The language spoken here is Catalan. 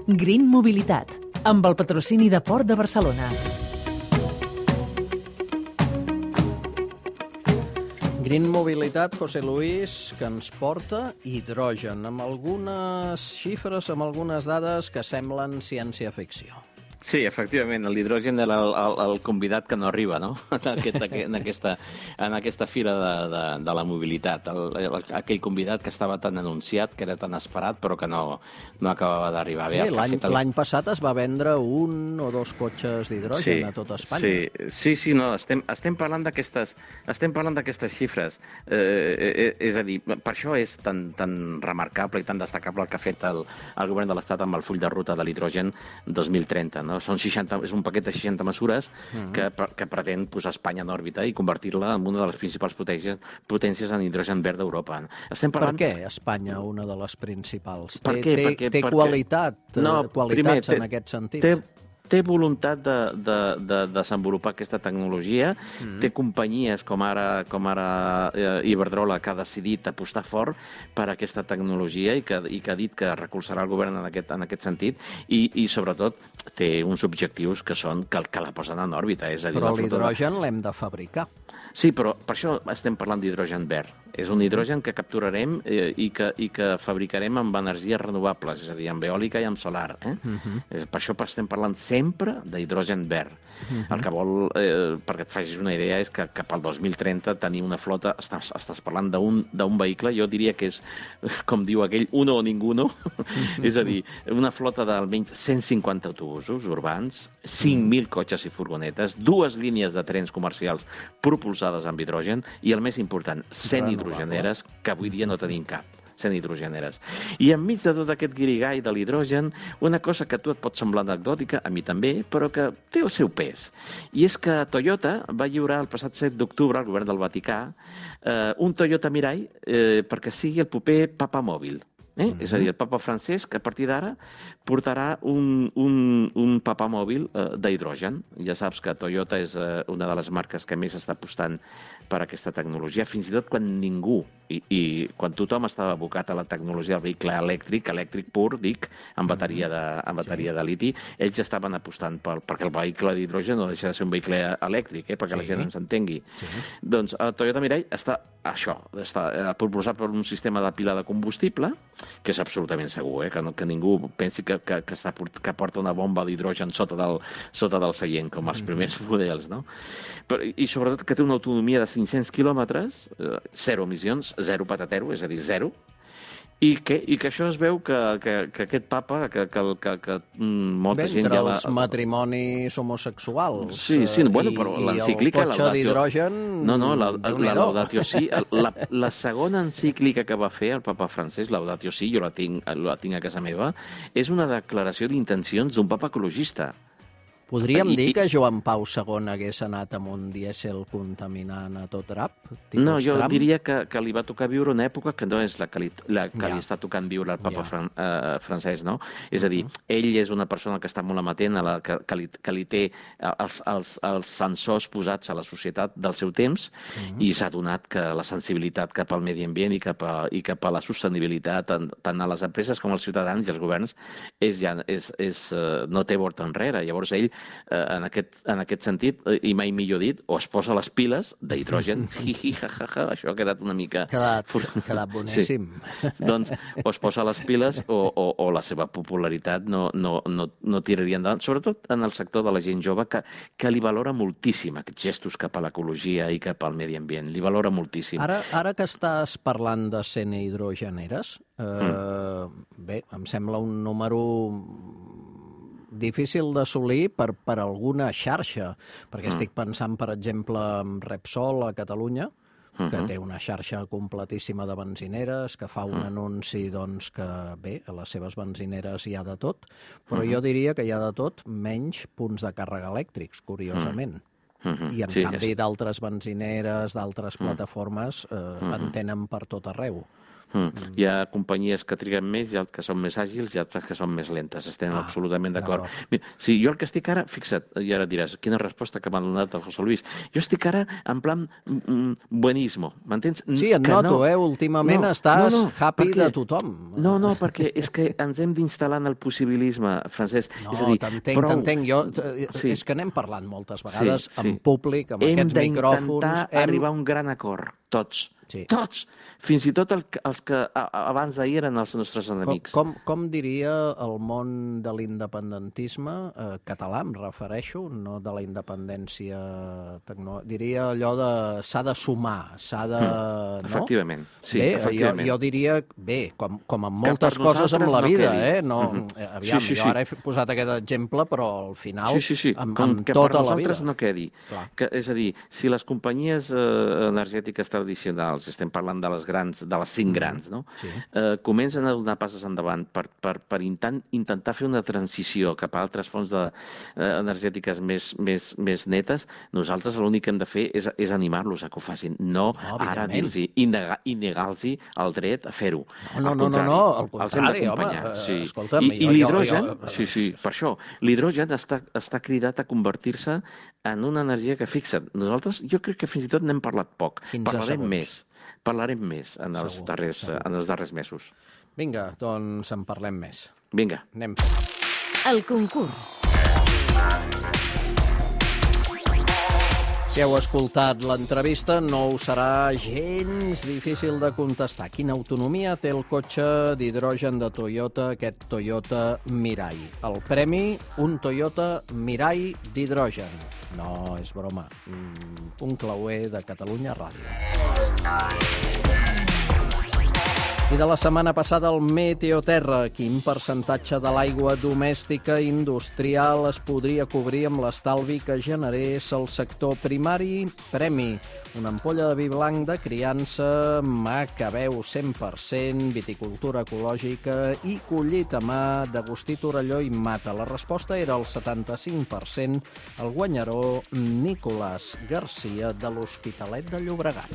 Green Mobilitat, amb el patrocini de Port de Barcelona. Green Mobilitat, José Luis, que ens porta hidrogen, amb algunes xifres, amb algunes dades que semblen ciència-ficció. Sí, efectivament, l'hidrogen era el convidat que no arriba, no?, en aquesta fira de la mobilitat. Aquell convidat que estava tan anunciat, que era tan esperat, però que no acabava d'arribar. L'any passat es va vendre 1 o 2 cotxes d'hidrogen a tot Espanya. Sí, no, estem parlant d'aquestes xifres. És a dir, per això és tan remarcable i tan destacable el que ha fet el govern de l'Estat amb el full de ruta de l'hidrogen 2030, no? És un paquet de 60 mesures que pretén posar Espanya en òrbita i convertir-la en una de les principals potències en hidrogen verd d'Europa. Per què Espanya una de les principals? Té qualitats en aquest sentit? Té voluntat de desenvolupar aquesta tecnologia, té companyies com ara Iberdrola, que ha decidit apostar fort per aquesta tecnologia i que ha dit que recolzarà el govern en aquest sentit i sobretot té uns objectius que són que la posen en òrbita. Però l'hidrogen l'hem de fabricar. Sí, però per això estem parlant d'hidrogen verd. És un hidrogen que capturarem i que fabricarem amb energies renovables, és a dir, amb eòlica i amb solar. Per això estem parlant sempre d'hidrogen verd. El que vol, perquè et facis una idea, és que cap al 2030 tenir una flota, estàs parlant d'un vehicle, jo diria que és, com diu aquell, uno o ninguno, és a dir, una flota d'almenys 150 autobusos urbans, 5.000 cotxes i furgonetes, 2 línies de trens comercials propulsades amb hidrogen i, el més important, 100 hidrogeneres, que avui dia no tenim cap. 100 hidrogeneres. I enmig de tot aquest guirigall de l'hidrogen, una cosa que a tu et pot semblar anecdòtica, a mi també, però que té el seu pes. I és que Toyota va lliurar el passat 7 d'octubre al govern del Vaticà un Toyota Mirai perquè sigui el proper papa mòbil. És a dir, el papa francès, que a partir d'ara portarà un papa mòbil d'hidrogen. Ja saps que Toyota és una de les marques que més està apostant per aquesta tecnologia, fins i tot quan ningú, i quan tothom estava abocat a la tecnologia del vehicle elèctric pur, dic, amb bateria de liti, ells ja estaven apostant perquè el vehicle d'hidrogen no deixa de ser un vehicle elèctric, perquè la gent ens entengui. Doncs el Toyota Mirai està propulsat per un sistema de pila de combustible, que és absolutament segur, que ningú pensi que porta una bomba d'hidrogen sota del seient, com els primers models, no? I sobretot que té una autonomia de 500 quilòmetres, 0 emissions, 0 patatero, és a dir, 0, i que això es veu que aquest papa, que molta gent ja... Entre els matrimonis homosexuals i el cotxe d'hidrogen... No, la Laudatio Si, la segona encíclica que va fer el papa francès, Laudatio Si, jo la tinc a casa meva, és una declaració d'intencions d'un papa ecologista. Podríem dir que Joan Pau II hagués anat amb un dièsel contaminant a tot drap? No, jo diria que li va tocar viure una època que no és la que li està tocant viure el papa francès, no? És a dir, ell és una persona que està molt amatent, que li té els sensors posats a la societat del seu temps i s'ha adonat que la sensibilitat cap al medi ambient i cap a la sostenibilitat, tant a les empreses com als ciutadans i als governs, no té volta enrere. Llavors ell, en aquest sentit, i mai millor dit, o es posa les piles d'hidrogen, això ha quedat una mica... Ha quedat boníssim. Doncs o es posa les piles o la seva popularitat no tiraria endavant, sobretot en el sector de la gent jove, que li valora moltíssim aquests gestos cap a l'ecologia i cap al medi ambient. Li valora moltíssim. Ara que estàs parlant de 100 hidrogeneres, bé, em sembla un número difícil d'assolir per alguna xarxa, perquè estic pensant, per exemple, en Repsol a Catalunya, que té una xarxa completíssima de benzineres, que fa un anunci que, bé, a les seves benzineres hi ha de tot, però jo diria que hi ha de tot menys punts de càrrega elèctrics, curiosament. I en canvi d'altres benzineres, d'altres plataformes, en tenen per tot arreu. Hi ha companyies que triguen més, hi ha que són més àgils i altres que són més lentes. Estem absolutament d'acord. Sí, jo el que estic ara, fixa't, i ara diràs, quina resposta que m'ha donat el José Luis. Jo estic ara en plan buenismo, m'entens? Sí, et noto, últimament estàs happy de tothom. No, perquè és que ens hem d'instal·lar en el possibilisme, Francesc. No, t'entenc. És que n'hem parlat moltes vegades en públic, amb aquests micròfons. Hem d'intentar arribar a un gran acord, tots. Tots! Fins i tot els que abans d'ahir eren els nostres enemics. Com diria el món de l'independentisme català, em refereixo, no de la independència tecnològica, diria allò de s'ha de sumar, s'ha de... Efectivament, sí, bé, efectivament. Jo diria, bé, com en moltes coses amb la vida, aviam, jo ara he posat aquest exemple, però al final, amb tota la vida. No quedi. És a dir, si les companyies energètiques tradicionals, estem parlant de les 5 grans, no? Comencen a donar passes endavant per intentar fer una transició cap a altres fonts energètiques més netes, nosaltres l'únic que hem de fer és animar-los a que ho facin, no ara dir-los i negar-los el dret a fer-ho. No, al contrari, home, escolta'm... I l'hidrogen, sí, per això, l'hidrogen està cridat a convertir-se en una energia que, fixa't, nosaltres jo crec que fins i tot n'hem parlat poc, parlarem més en els darrers mesos. Vinga, doncs en parlem més. Vinga. Anem fent. El concurs. Si heu escoltat l'entrevista, no us serà gens difícil de contestar. Quina autonomia té el cotxe d'hidrogen de Toyota, aquest Toyota Mirai? El premi, un Toyota Mirai d'hidrogen. No, és broma. Un clauer de Catalunya Ràdio. I de la setmana passada el Meteoterra. Quin percentatge de l'aigua domèstica industrial es podria cobrir amb l'estalvi que generés el sector primari? Premi, una ampolla de vi blanc de criança, Macabeu 100%, viticultura ecològica i collit a mà d'Agustí Torelló i Mata. La resposta era el 75%, el guanyador Nicolás Garcia de l'Hospitalet de Llobregat.